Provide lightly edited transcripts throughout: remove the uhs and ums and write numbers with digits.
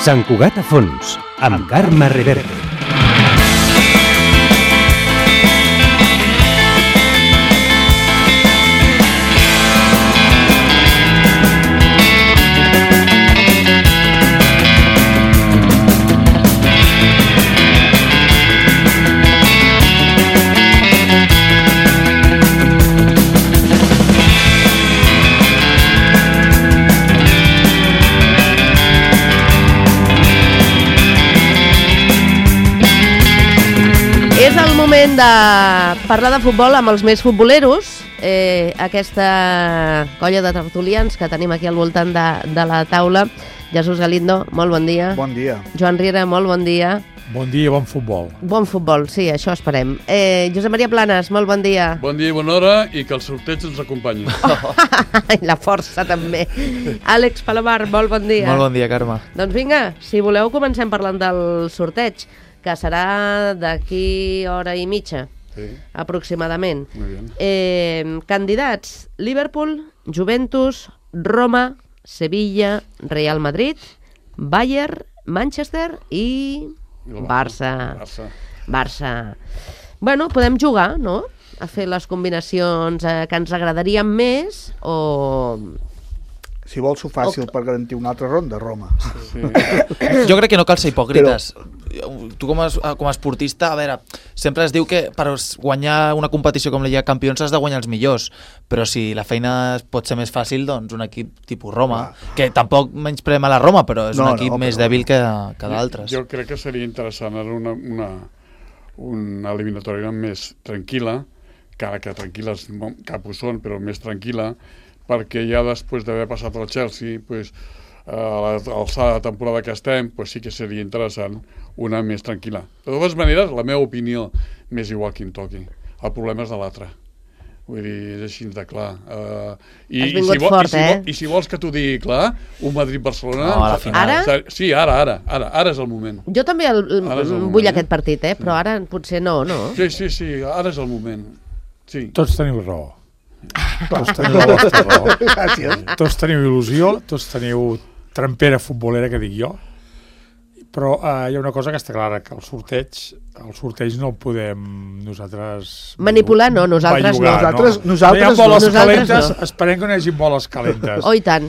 Sant Cugat a fons, amb Carme Reverte. Moment de parlar de futbol amb els més futboleros, aquesta colla de tertulians que tenim aquí al voltant de la taula. Jesús Galindo, molt bon dia. Bon dia. Joan Riera, molt bon dia. Bon dia i bon futbol. Bon futbol, sí, això esperem. Josep Maria Planes, molt bon dia. Bon dia i bona hora i que el sorteig ens acompanyi. I la força també. Àlex Palomar, molt bon dia. Molt bon dia, Carme. Doncs vinga, si voleu comencem parlant del sorteig, que serà d'aquí hora i mitja, sí, aproximadament. Candidats: Liverpool, Juventus, Roma, Sevilla, Real Madrid, Bayern, Manchester i Barça. Bueno, podem jugar, no?, a fer les combinacions que ens agradarien més, o... Si vols ho fàcil per garantir una altra ronda, Roma. Sí. Jo crec que no cal ser hipòcrites. Tu com a esportista, a veure, sempre es diu que per guanyar una competició com la Lliga de Campions has de guanyar els millors, però si la feina pot ser més fàcil, doncs un equip tipus Roma, que tampoc menyspreem a la Roma, però és un equip més dèbil que d'altres. Jo crec que seria interessant una eliminatòria més tranquil·la, encara que tranquil·les cap ho són, però més tranquil·la, perquè ja després d'haver passat el Chelsea, a l'alçada de temporada que estem, sí que seria interessant una més tranquil·la. De totes maneres, la meva opinió m'és igual qui em toqui. El problema és de l'altre. Vull dir, és així de clar. Has vingut fort, I si vols que t'ho digui clar, un Madrid-Barcelona... No, a la final. Ara? Sí, ara és el moment. Jo també vull aquest partit, però ara potser no. Sí, ara és el moment. Sí. Tots teniu raó. Tots teniu il·lusió, tots teniu trampera futbolera, que dic jo, però hi ha una cosa que està clara, que el sorteig no el podem nosaltres... Manipular, no, nosaltres no. No hi ha boles calentes, esperem que no hi hagi boles calentes. Oh, i tant.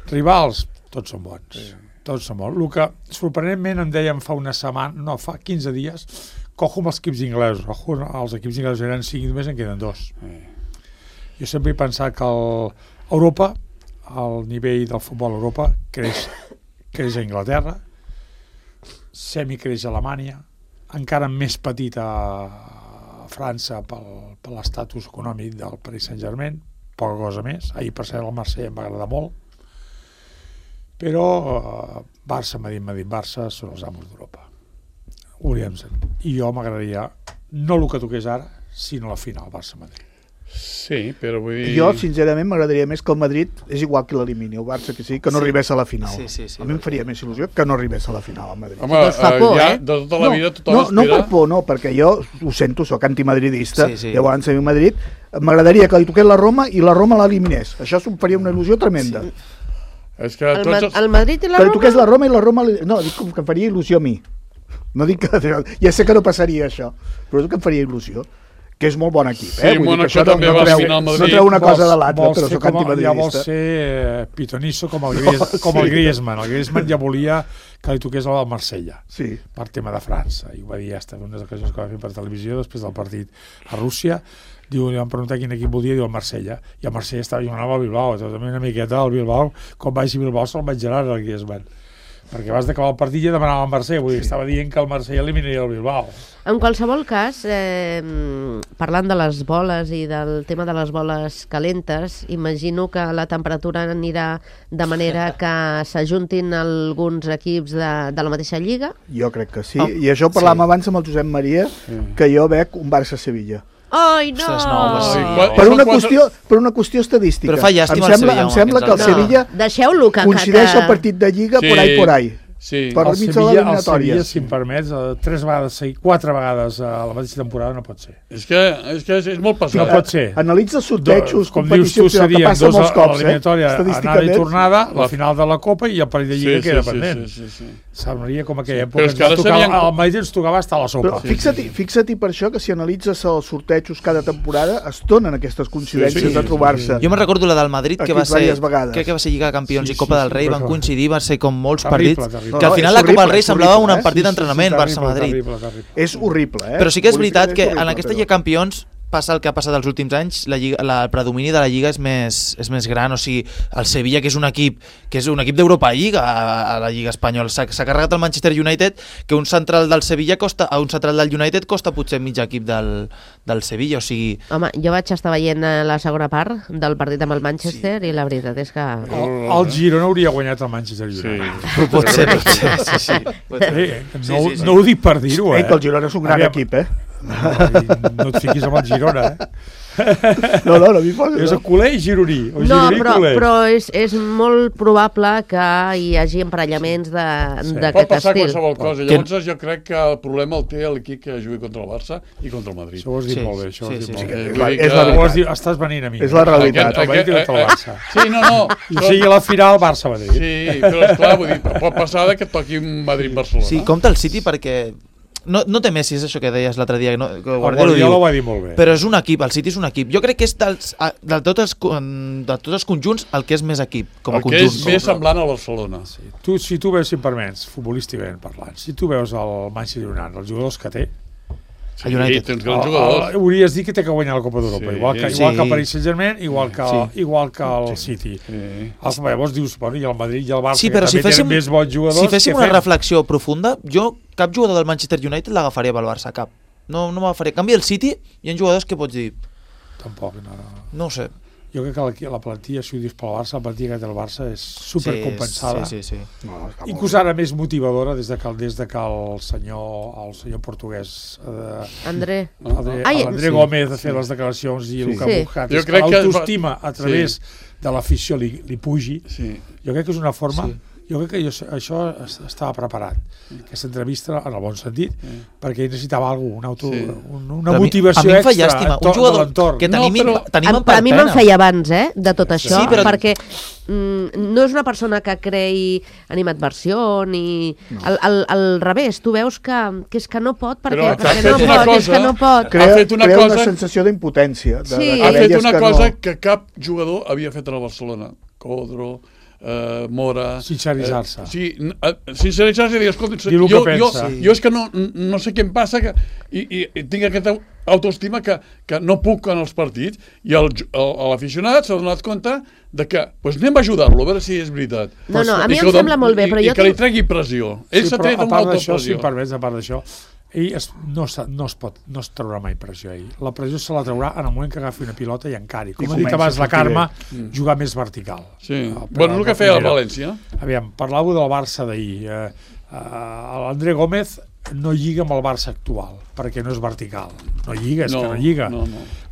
Rivals, tots són bons. Tots són bons. El que sorprenentment em deien fa 15 dies, cojo amb els equips inglesos. Els equips inglesos eren 5 i només en queden 2. Jo sempre he pensat que Europa, el nivell del futbol a Europa, creix a Anglaterra, semi-creix a Alemanya, encara més petit a França per l'estatus econòmic del Paris Saint-Germain, poca cosa més. Ahir, per cert, el Marsella em va agradar molt. Però Barça, Madrid-Barça són els amos d'Europa. I jo m'agradaria, no el que toqués ara, sinó la final, Barça-Madrid. Sí, però vull dir... Jo, sincerament, m'agradaria més que el Madrid és igual que l'elimini, el Barça, que sí, que no arribés a la final. Sí, a mi em faria més il·lusió que no arribés a la final, el Madrid. Home, ja de tota la vida tothom espera... No per por, no, perquè jo ho sento, soc antimadridista, llavors a mi Madrid m'agradaria que li toqués la Roma i la Roma l'eliminés. Això em faria una il·lusió tremenda. És que el Madrid i la Roma... Que li toqués la Roma i la Roma... No, dic que em faria il·lusió a mi. No dic que... Ja sé que no passaria això, però és que em faria il·lusió. Que és molt bon equip, Sí, Mónaco també va a la final Madrid. No treu una cosa de l'altra, però soc antimadridista. Ja vol ser pitonisso com el Griezmann. El Griezmann ja volia que li toqués al Marsella, per tema de França. I ho va dir ja en unes ocasions que va fer per televisió, després del partit a Rússia. Li van preguntar quin equip volia, diu el Marsella. I el Marsella estava jugant amb el Bilbao. També una miqueta al Bilbao, quan vagi a Bilbao se'l menjarà el Griezmann. Perquè abans d'acabar el partit ja demanava el Marsella, vull dir, estava dient que el Marsella eliminaria el Bilbao. En qualsevol cas, parlant de les boles i del tema de les boles calentes, imagino que la temperatura anirà de manera que s'ajuntin alguns equips de la mateixa lliga? Jo crec que sí, i això parlàvem abans amb el Josep Maria, que jo veig un Barça-Sevilla. Ai, no! Per una qüestió estadística. Però fa llàstima em sembla que el Sevilla coincideix el partit de Lliga por ahí. per mig de l'eliminatòria. El Sevilla, si em permets, 4 vegades a la mateixa temporada no pot ser. És que és molt passat. No pot ser. Analitza sortejos, com dius tu, serien dos a l'eliminatòria, anada i tornada, la final de la Copa i el parell de Lliga queda pendent. Semblaria com aquella època. Al Madrid ens tocava estar a la sopa. Fixa't per això que si analitzes els sortejos cada temporada es donen aquestes coincidències de trobar-se. Jo me'n recordo la del Madrid, que va ser Lliga de Campions i Copa del Rei, van coincidir, va ser com molts partits. Que al final la Copa del Rei semblava un partit d'entrenament Barça-Madrid. És horrible, Però sí que és veritat que en aquesta Lliga de Campions passa el que ha passat els últims anys, el predomini de la Lliga és més gran, o sigui, el Sevilla, que és un equip d'Europa Lliga a la Lliga espanyola, s'ha carregat el Manchester United, que un central del Sevilla un central del United costa potser mig equip del Sevilla, o sigui... Home, jo vaig estar veient la segona part del partit amb el Manchester i la veritat és que... El Girona hauria guanyat el Manchester United. Pot ser. No ho dic per dir-ho, que el Girona és un gran equip, No et fiquis amb el Girona, No m'hi poso. És el culer i gironí. Però és molt probable que hi hagi emparellaments d'aquest estil. Pot passar qualsevol cosa. Llavors jo crec que el problema el té l'equip que jugui contra el Barça i contra el Madrid. Això ho has dit molt bé. Estàs venint a mi. És la realitat. El Madrid contra el Barça. Sí, no. I sigui la final Barça-Madrid. Sí, però esclar, vull dir, pot passar que et toqui un Madrid-Barcelona. Sí, compta el City perquè... No té Messi, és això que deies l'altre dia. Guardiola ho va dir molt bé. Però és un equip, el City és un equip. Jo crec que és de tots els conjunts el que és més equip, com a conjunt. El que és més semblant al Barcelona. Si tu veus, si em permets, futbolísticament parlant, si tu veus el Manchester United, els jugadors que té, Sí, tens grans jugadors. Hauries dit que té que guanyar la Copa d'Europa, igual que el Paris Saint-Germain, igual que el City. Llavors dius, i el Madrid i el Barça, que també tenen més bons jugadors. Si féssim una reflexió profunda, jo cap jugador del Manchester United l'agafaria pel Barça, cap. No m'agafaria. En canvi, el City hi ha jugadors que pots dir... Tampoc, no ho sé. Jo crec que la plantilla, si ho dius pel Barça, la plantilla que té el Barça és supercompensada. Sí. Inclús ara més motivadora des de que el senyor portuguès André Gómez ha fet les declaracions i el que ha buscat és que l'autoestima a través de l'afició li pugi. Jo crec que és una forma... Jo crec que això estava preparat, aquesta entrevista, en el bon sentit, perquè ell necessitava alguna motivació extra un jugador que tenim en pena. A mi me'n feia abans, de tot això, perquè no és una persona que creï animadversió ni... Al revés, tu veus que és que no pot, perquè no pot. Crea una sensació d'impotència. Ha fet una cosa que cap jugador havia fet a la Barcelona. Codro... Mora... Sinceritzar-se. Sinceritzar-se i dir, escolta, jo és que no sé què em passa i tinc aquesta autoestima que no puc en els partits i l'aficionat s'ha donat compte de que anem a ajudar-lo, a veure si és veritat. No, a mi em sembla molt bé, però jo... I que li tregui pressió. Ell s'ha tret amb molta pressió. Si em permets, a part d'això, ell no es traurà mai pressió ell. La pressió se la traurà en el moment que agafi una pilota i encari. Com ha dit abans la Carme, jugar més vertical. Sí. Bueno, el que feia el València. Aviam, parlàveu del Barça d'ahir. L'André Gómez no lliga amb el Barça actual, perquè no és vertical. No lliga, és que no lliga.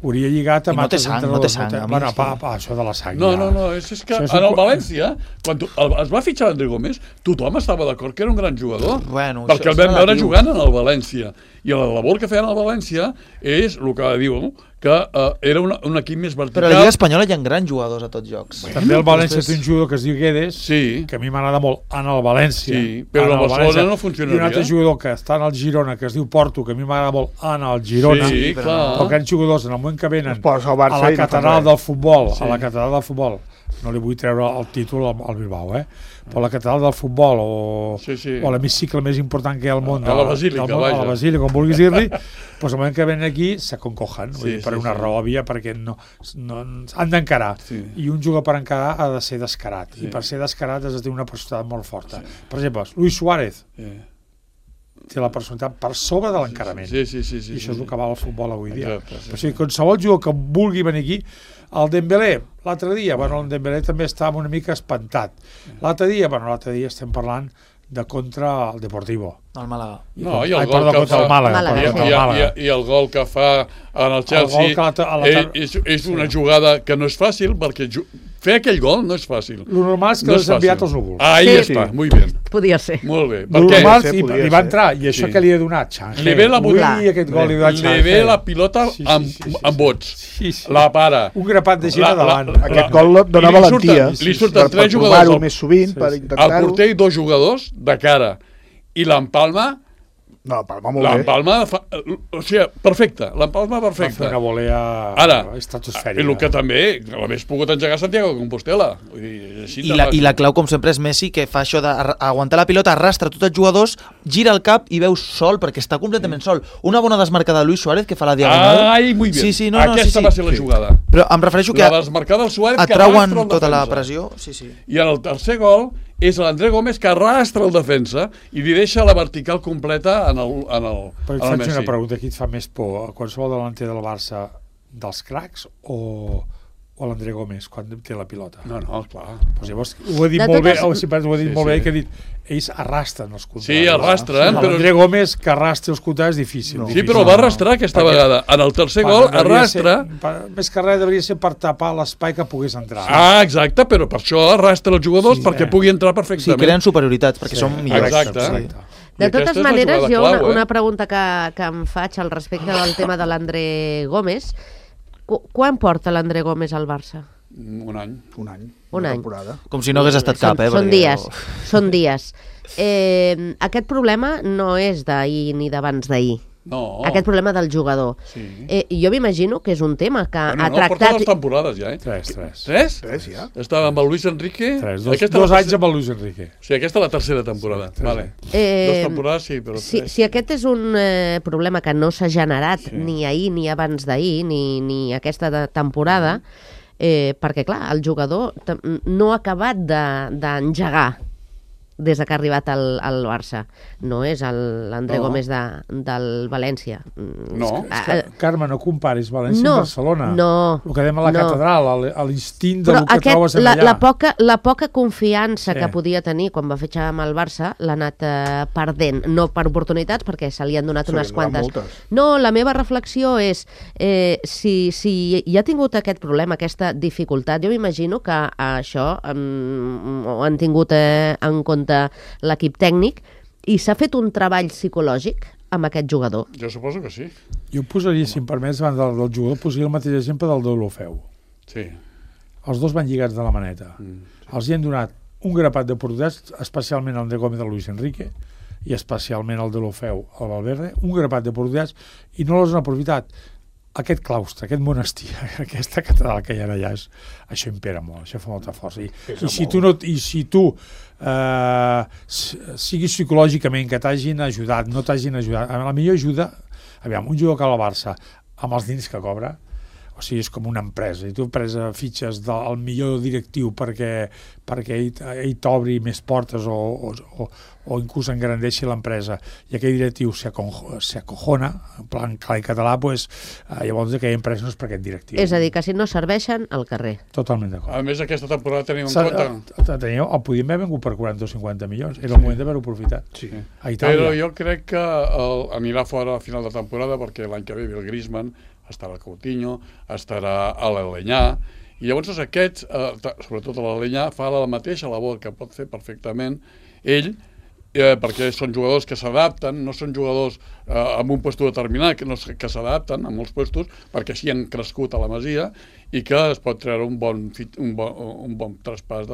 Hauria lligat amb altres entrenadors. No té sang. Bueno, això de la sang. No, és que en el València, quan es va fitxar l'André Gómez, tothom estava d'acord que era un gran jugador, perquè el vam veure jugant en el València. I la labor que feien al València és el que diu, que era un equip més vertical. Però a la Lliga Espanyola hi ha grans jugadors a tots jocs. També el València té un jugador que es diu Guedes, que a mi m'agrada molt en el València. Sí, però el Barcelona no funcionaria. I un altre jugador que està en el Girona, que es diu Porto, que a mi m'agrada molt en el Girona. Sí, clar. Però aquests jugadors, en el moment que venen a la catedral del futbol, no li vull treure el títol al Bilbao, però la catedral del futbol o l'hemicicle més important que hi ha al món, a la Basílica, com vulguis dir-li, doncs al moment que venen aquí s'aconcogen, per una raó òbvia, perquè han d'encarar, i un jugador per encarar ha de ser descarat, i per ser descarat has de tenir una personalitat molt forta. Per exemple, Luis Suárez té la personalitat per sobre de l'encarament, i això és el que val el futbol avui dia. O sigui, qualsevol jugador que vulgui venir aquí, el Dembélé, l'altre dia, el Dembélé també estava una mica espantat. L'altre dia estem parlant de contra el Deportivo. El Màlaga. No, i el gol que fa en el Chelsea és una jugada que no és fàcil, perquè fer aquell gol no és fàcil. Lo normal és que l'has enviat als núvols. Ahí està, muy bien. Podia ser. Molt bé. Lo normal, li va entrar, i això que li ha donat, Xangel. Li ve la li ve la pilota amb vots. La para. Un grapat de gent davant. Aquest gol dona valentia. Li surten 3 jugadors. Per provar-ho més sovint, per intentar-ho. El porter i 2 jugadors de cara. I l'empalma... No, l'empalma molt bé. L'empalma... O sigui, perfecte. L'empalma perfecta. Va fer una volea estratosfèrica. I el que també l'hagués pogut engegar Santiago de Compostela. I la clau, com sempre, és Messi, que fa això d'aguantar la pilota, arrastra tots els jugadors, gira el cap i veus sol, perquè està completament sol. Una bona desmarcada de Luis Suárez, que fa la diagonal. Ai, muy bien. Aquesta va ser la jugada. Però em refereixo que la desmarcada del Suárez atrauen tota la pressió. I en el tercer gol és l'André Gómez que arrastra el defensa i li deixa la vertical completa en el Però et faig una pregunta, qui et fa més por? Qualsevol delanter del Barça dels cracs o l'André Gómez quan té la pilota? No, clar. Pues llavors, ho ha dit molt bé, molt bé, que ha dit ells arrastren els contraris. Sí, arrastren. L'André Gómez que arrastri els contraris és difícil. Sí, però va arrastrar aquesta vegada. En el tercer gol arrastra... Més que res devia ser per tapar l'espai que pogués entrar. Exacte, però per això arrastra els jugadors perquè pugui entrar perfectament. Sí, creen superioritats, perquè són millors. Exacte. De totes maneres, jo una pregunta que em faig al respecte del tema de l'André Gómez. Quan porta l'André Gómez al Barça? Un any. Un any. Com si no hagués estat cap, Són dies. Aquest problema no és d'ahir ni d'abans d'ahir. No. Aquest problema del jugador. Sí. Jo m'imagino que és un tema que ha tractat... Porta 2 temporades ja, Tres, ja. Estava amb el Luis Enrique... 2 anys amb el Luis Enrique. O sigui, aquesta és la tercera temporada. Vale. 2 temporades, sí, però 3. Si aquest és un problema que no s'ha generat ni ahir ni abans d'ahir, ni aquesta temporada, perquè, clar, el jugador no ha acabat d'engegar des que ha arribat al Barça. No és l'André Gómez del València. No. Carme, no comparis València amb Barcelona. No. El que dèiem a la catedral, l'instint del que trobes allà. La poca confiança que podia tenir quan va fitxar amb el Barça l'ha anat perdent. No per oportunitats, perquè se li han donat unes quantes. No, la meva reflexió és si hi ha tingut aquest problema, aquesta dificultat, jo m'imagino que això ho han tingut en compte l'equip tècnic i s'ha fet un treball psicològic amb aquest jugador. Jo suposo que sí. Jo posaria, si em permets, abans del jugador, posaria el mateix exemple del Deulofeu. Sí. Els dos van lligats de la maneta. Els hi han donat un grapat d'oportunitats, especialment el André Gómez de Luis Enrique i especialment el Deulofeu al Valverde, un grapat d'oportunitats i no les han aprofitat. Aquest claustre, aquest monestir, aquesta catedral que hi ha allà, això impera molt, això fa molta força. I si tu siguis psicològicament, que t'hagin ajudat, no t'hagin ajudat, la millor ajuda, aviam, un jugador que va al Barça, amb els diners que cobra, o sigui, és com una empresa, i tu fitxes el millor directiu perquè ell t'obri més portes o inclús engrandeixi l'empresa, i aquell directiu s'acojona, en plan clar i català, llavors aquella empresa no és per aquest directiu. És a dir, que si no serveixen, al carrer. Totalment d'acord. A més, aquesta temporada tenim en compte... El podíem haver vengut per 40 o 50 milions, era el moment d'haver-ho aprofitat. Sí. A Itàlia. Però jo crec que anirà fora a final de temporada perquè l'any que ve el Griezmann, estarà Coutinho, estarà a l'Alenyà, i llavors aquests, sobretot a l'Alenyà, fa la mateixa labor que pot fer perfectament ell, perquè són jugadors que s'adapten, no són jugadors amb un lloc determinat, que s'adapten a molts llocs, perquè així han crescut a la Masia i que es pot treure un bon traspàs.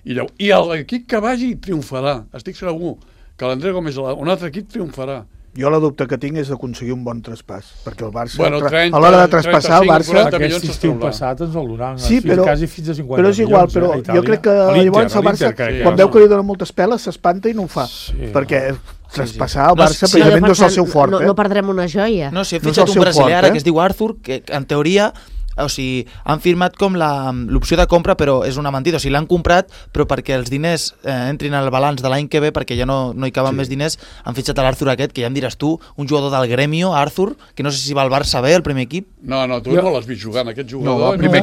I l'equip que vagi triomfarà, estic segur que l'André Gómez, un altre equip triomfarà. Jo la dubte que tinc és d'aconseguir un bon traspàs, perquè el Barça, a l'hora de traspassar el Barça... Aquest estiu passat ens el donaran, quasi fins a 50 milions. Però és igual, però jo crec que llavors el Barça, quan veu que li dona moltes peles, s'espanta i no ho fa, perquè traspassar el Barça precisament no és el seu fort. No perdrem una joia. No, si he fitxat un brasiler ara que es diu Arthur, que en teoria... O sigui, han firmat com l'opció de compra, però és una mentida. O sigui, l'han comprat, però perquè els diners entrin al balanç de l'any que ve, perquè ja no hi caben més diners, han fitxat l'Arthur aquest, que ja em diràs tu, un jugador del Gremio, Arthur, que no sé si va al Barça bé, el primer equip. No, tu no l'has vist jugant, aquest jugador. No, el primer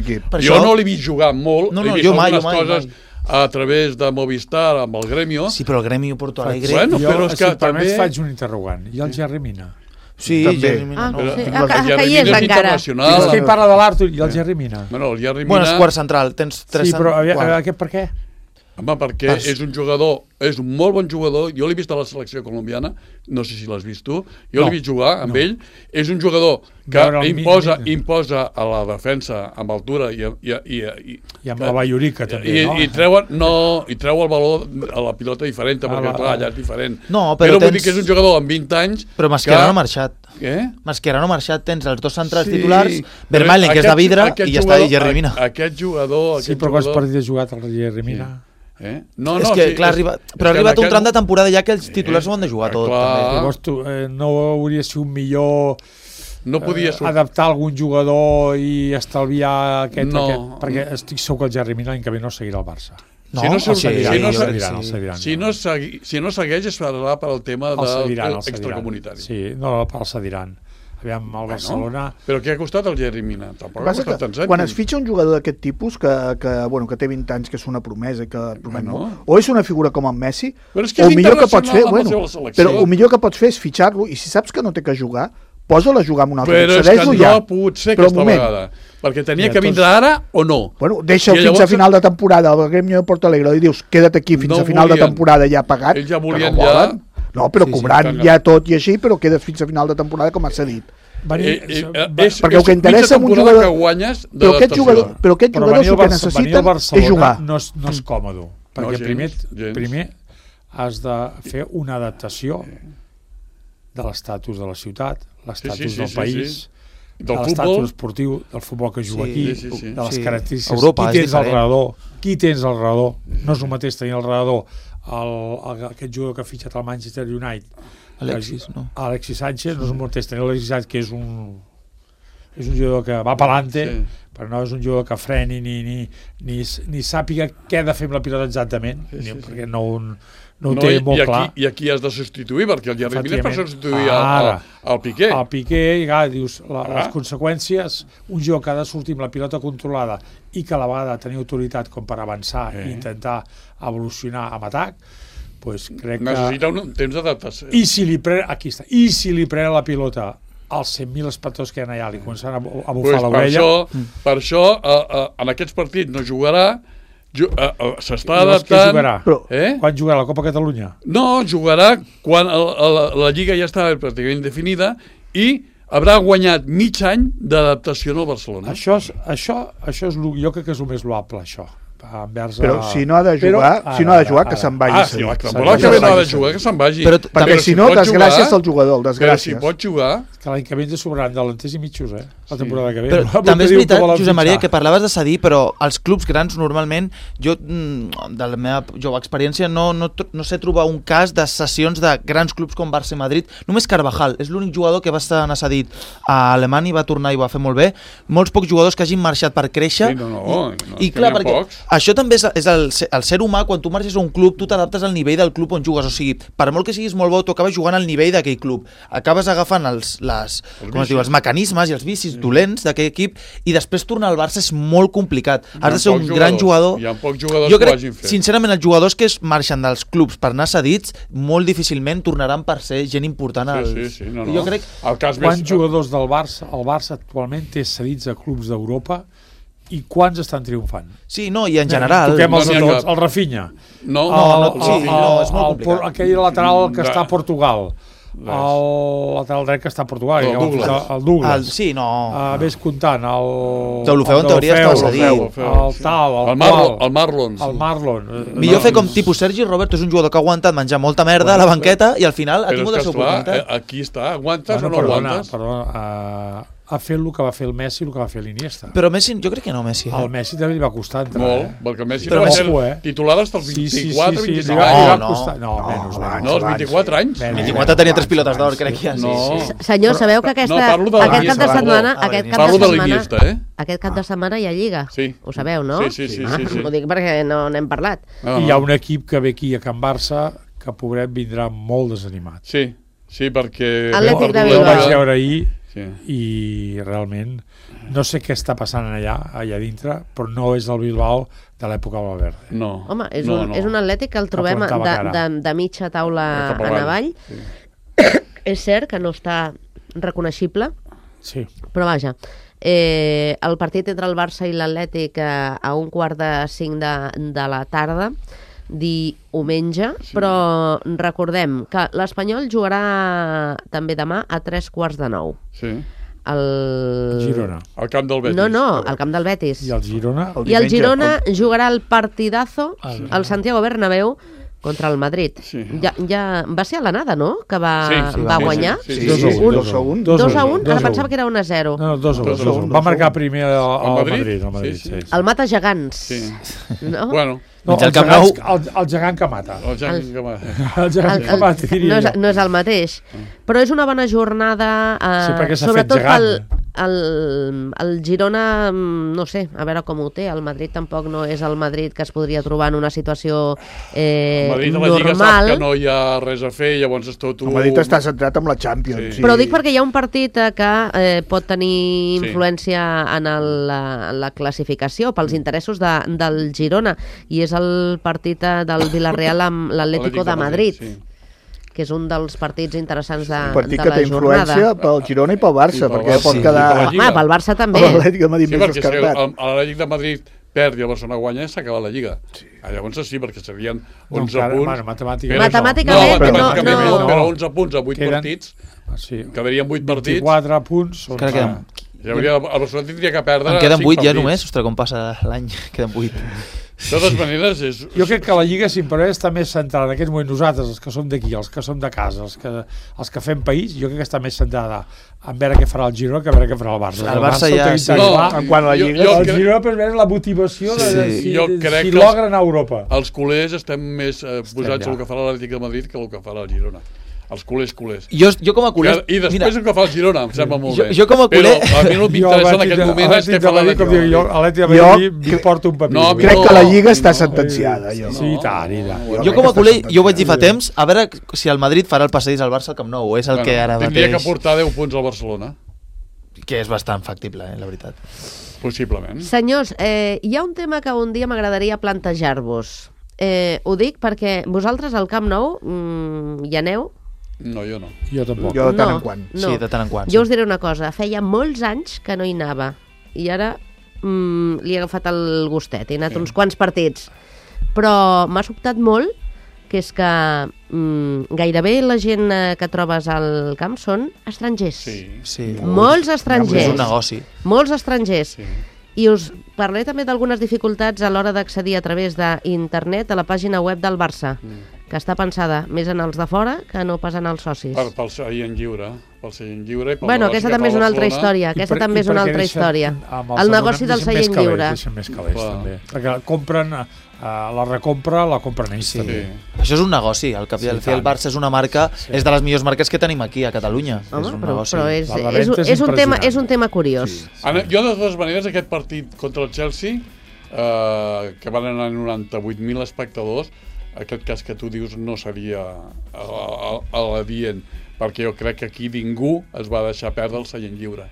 equip. Jo no l'he vist jugar molt, he vist algunes coses a través de Movistar amb el Gremio. Sí, però el Gremio Porto Alegre... Jo, si em permets, faig un interrogant. I el Jerry Mina? Sí, Jerry Mina no. Que hi és encara. És que hi parla de l'Artur i el Jerry Mina. Bueno, el Jerry Mina... Bueno, és quart central, tens 3 Sí, però aquest per què? Home, perquè és un jugador, és un molt bon jugador, jo l'he vist a la selecció colombiana, no sé si l'has vist tu, jo l'he vist jugar amb ell, és un jugador que imposa a la defensa amb altura i amb la Ballorica també, no? I treu el valor a la pilota diferent, perquè clar, allà és diferent. Però vull dir que és un jugador amb 20 anys... Però Mascherano ha marxat. Què? Mascherano ha marxat, tens els 2 centrals titulars, Vermaelen, que és de vidre, i ja està, i Jerry Mina. Aquest jugador... Sí, però quants partits ha jugat el Jerry Mina? És que, clar, però ha arribat un tram de temporada ja que els titulars ho han de jugar tot. Llavors tu no hauria sigut un millor adaptar algun jugador i estalviar aquest, perquè estic segur que el Jerry Mina l'any que ve no seguirà al Barça. Si no segueix es farà per al tema extracomunitari. Sí, no, el cediran. Aviam, el Barcelona... Però què ha costat el Jerry Mina? Tampoc ha costat tants anys. Quan es fitxa un jugador d'aquest tipus, que té 20 anys, que és una promesa, o és una figura com en Messi, o millor que pots fer, però el millor que pots fer és fitxar-lo, i si saps que no té que jugar, posa-la a jugar amb un altre. Però és que no ha pogut ser aquesta vegada. Perquè tenia que vindre ara o no. Bueno, deixa-ho fins a final de temporada, el Gremio de Porto Alegre, i dius, queda't aquí fins a final de temporada ja pagat. Ells ja volien ja... No, però cobrant ja tot i així, però quedes fins a final de temporada, com has dit. Perquè el que interessa un jugador... Però aquest jugador el que necessiten és jugar. No és còmode, perquè primer has de fer una adaptació de l'estatus de la ciutat, l'estatus del país, de l'estatus esportiu, del futbol que juga aquí, de les característiques, qui tens al redador. No és el mateix tenir al redador aquest jugador que ha fitxat al Manchester United, Alexis Sánchez, no és el mateix tenir Alexis Sánchez, que és un jugador que va pelante, però no és un jugador que freni ni sàpiga què ha de fer amb la pilota exactament, perquè no ho té molt clar. I aquí has de substituir, perquè el Jerry Mina és per substituir al Piqué. El Piqué, dius, les conseqüències, un jugador que ha de sortir amb la pilota controlada i que a la vegada tenir autoritat com per avançar i intentar evolucionar amb atac, doncs crec que... Necessita un temps d'adaptació. I si li pren la pilota als 100.000 espectadors que hi ha allà, li començaran a bufar l'orella... Per això, en aquests partits no jugarà, s'està adaptant... Quan jugarà la Copa Catalunya? No, jugarà quan la Lliga ja està pràcticament definida i haurà guanyat mig any d'adaptació al Barcelona. Això és jo crec que és el més loable, això. Però si no ha de jugar, que se'n vagi. Si no ha de jugar, que se'n vagi. Perquè si no, desgràcies al jugador, desgràcies. Però si pot jugar... Que l'any que ve ens sobraran delanters i mitjos, la temporada que ve. Però també és veritat, Josep Maria, que parlaves de cedir, però els clubs grans normalment, jo, de la meva jove experiència, no sé trobar un cas de cessions de grans clubs com Barça i Madrid. Només Carvajal és l'únic jugador que va estar cedit a Alemanya i va tornar i va fer molt bé. Molts pocs jugadors que hagin marxat per créixer. I clar, perquè això també és el ser humà. Quan tu marxes a un club, tu t'adaptes al nivell del club on jugues. O sigui, per molt que siguis molt bo, tu acabes jugant al nivell d'aquell club. Acabes agafant els mecanismes i els vicis dolents d'aquell equip, i després tornar al Barça és molt complicat. Has de ser un gran jugador. Hi ha pocs jugadors que ho hagin fet. Sincerament, els jugadors que es marxen dels clubs per anar cedits molt difícilment tornaran per ser gent important. Jo crec... Quants jugadors del Barça, el Barça actualment té cedits a clubs d'Europa i quants estan triomfant? Sí, no, i en general... Toquem els de tots, el Rafinha. No, és molt complicat. Aquell lateral que està a Portugal. El lateral dret que està a Portugal, el Douglas. Sí, no. Ves comptant, Deulofeu en teoria està cedit. El Marlon. Millor fer com tipus Sergi Roberto, és un jugador que ha aguantat menjar molta merda a la banqueta i al final ha tingut la seva oportunitat. Aquí està, aguantes o no aguantes? Perdona, ha fet el que va fer el Messi i el que va fer l'Iniesta. Però Messi, jo crec que no, Messi. El Messi també li va costar entrar. Molt, perquè Messi va ser titular fins als 24, 25 anys. No, menys. No, els 24 anys. 24 tenia 3 pilotes d'or, crec que ja. Senyor, sabeu que aquest cap de setmana... Parlo de l'Iniesta, Aquest cap de setmana hi ha Lliga. Ho sabeu, no? Sí. Ho dic perquè no n'hem parlat. Hi ha un equip que ve aquí a Can Barça que, pobret, vindrà molt desanimat. Sí, perquè... Atlètic de Bilbao. El vaig veure ahir i realment no sé què està passant allà dintre, però no és el Bilbao de l'època de Valverde. Home, és un Atlètic que el trobem de mitja taula en avall. És cert que no està reconeixible. Sí. Però vaja, el partit entre el Barça i l'Atlètic a 4:45 de la tarda, diumenge, però recordem que l'Espanyol jugarà també demà a 3:15. Sí. El Girona. Al camp del Betis. No, al camp del Betis. I el Girona? I el Girona jugarà el partidazo al Santiago Bernabéu contra el Madrid. Sí. Ja va ser a l'anada, no?, que va guanyar. Sí, 2-1. 2-1, ara pensava que era 1-0. No, 2-1. Va marcar primer el Madrid. El mata gegants. Sí. No? Bueno. No, el gegant que mata. El gegant que mata. El gegant que mata, diria jo. No és el mateix. Però és una bona jornada, sobretot el Girona, no sé, a veure com ho té. El Madrid tampoc no és el Madrid que es podria trobar en una situació el Madrid a la Lliga sap que no hi ha res a fer, llavors és tot... El Madrid està centrat en la Champions. Sí. Però dic perquè hi ha un partit que pot tenir influència en la classificació pels interessos del Girona, i és el partit del Villarreal amb l'Atlético de Madrid, que és un dels partits interessants de la jornada. Un partit que té influència pel Girona i pel Barça, perquè pot quedar... Pel Barça també. Sí, perquè si l'Atlètic de Madrid perd i el Barcelona guanya, s'ha acabat la Lliga. Llavors sí, perquè serien 11 punts. Matemàticament, però 11 punts a 8 partits, quedarien 8 partits. 24 punts. El Barcelona tindria que perdre 5 partits. En queden 8 ja només? Ostres, com passa l'any? Queden 8. De totes maneres és... Jo crec que la Lliga, si em permet, està més centrada en aquest moment, nosaltres, els que som d'aquí, els que som de casa, els que fem país, jo crec que està més centrada en veure què farà el Girona que a veure què farà el Barça. El Barça ja... En quant a la Lliga... El Girona per veure la motivació de si logra anar a Europa. Els culers estem més posats al que farà l'Atlètic de Madrid que el que farà el Girona. Els culers. Jo com a culer... I després el que fa el Girona, em sembla molt bé. Jo com a culer... Però a mi no m'interessa en aquest moment és què fa l'Atlètic de Madrid. L'Atlètic de Madrid m'importa un paper. Crec que la Lliga està sentenciada. Sí, i tant. Jo com a culer, jo ho vaig dir fa temps, a veure si el Madrid farà el passadís al Barça al Camp Nou, és el que ara mateix... Tindria que portar 10 punts al Barcelona. Que és bastant factible, la veritat. Possiblement. Senyors, hi ha un tema que un dia m'agradaria plantejar-vos. Ho dic perquè vosaltres al Camp Nou hi aneu? No, jo no. Jo tampoc. Jo de tant en quant. No. Sí, de tant en quant. Jo us diré una cosa, feia molts anys que no hi anava i ara li he agafat el gustet, he anat uns quants partits, però m'ha sobtat molt que és que gairebé la gent que trobes al camp són estrangers. Sí. Molts estrangers. És un negoci. Molts estrangers. Sí. I us parlaré també d'algunes dificultats a l'hora d'accedir a través d'internet a la pàgina web del Barça, que està pensada més en els de fora que no pas en els socis. Pel seient lliure. Bueno, aquesta també és una altra història. Aquesta també és una altra història. El negoci del seient lliure. Més calés, també. Perquè compren, la recompra, la compren ells també. Això és un negoci. El Barça és una marca, és de les millors marques que tenim aquí a Catalunya. Home, però és un tema curiós. Jo, de totes maneres, aquest partit contra el Chelsea, que van anar 98.000 espectadors, aquest cas que tu dius no seria l'adient, perquè jo crec que aquí ningú es va deixar perdre el seient lliure.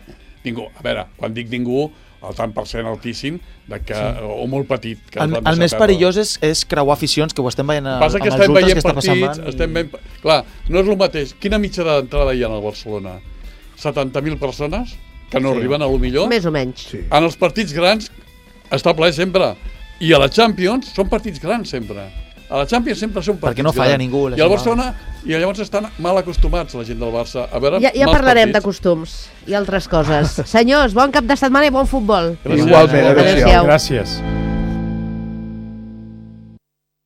Ningú. A veure, quan dic ningú, el tant per cent altíssim, o molt petit. El més perillós és creuar aficions, que ho estem veient amb els ultras que està passant. Clar, no és el mateix. Quina mitja d'entrada hi ha al Barcelona? 70.000 persones que no arriben a lo millor? Més o menys. En els partits grans està ple sempre. I a la Champions són partits grans sempre. A la Champions sempre són partits perquè no falla ningú. I al Barcelona, i llavors estan mal acostumats la gent del Barça a veure ja parlarem de costums i altres coses. Senyors, bon cap de setmana i bon futbol. Igualment. Adéu-siau. Gràcies.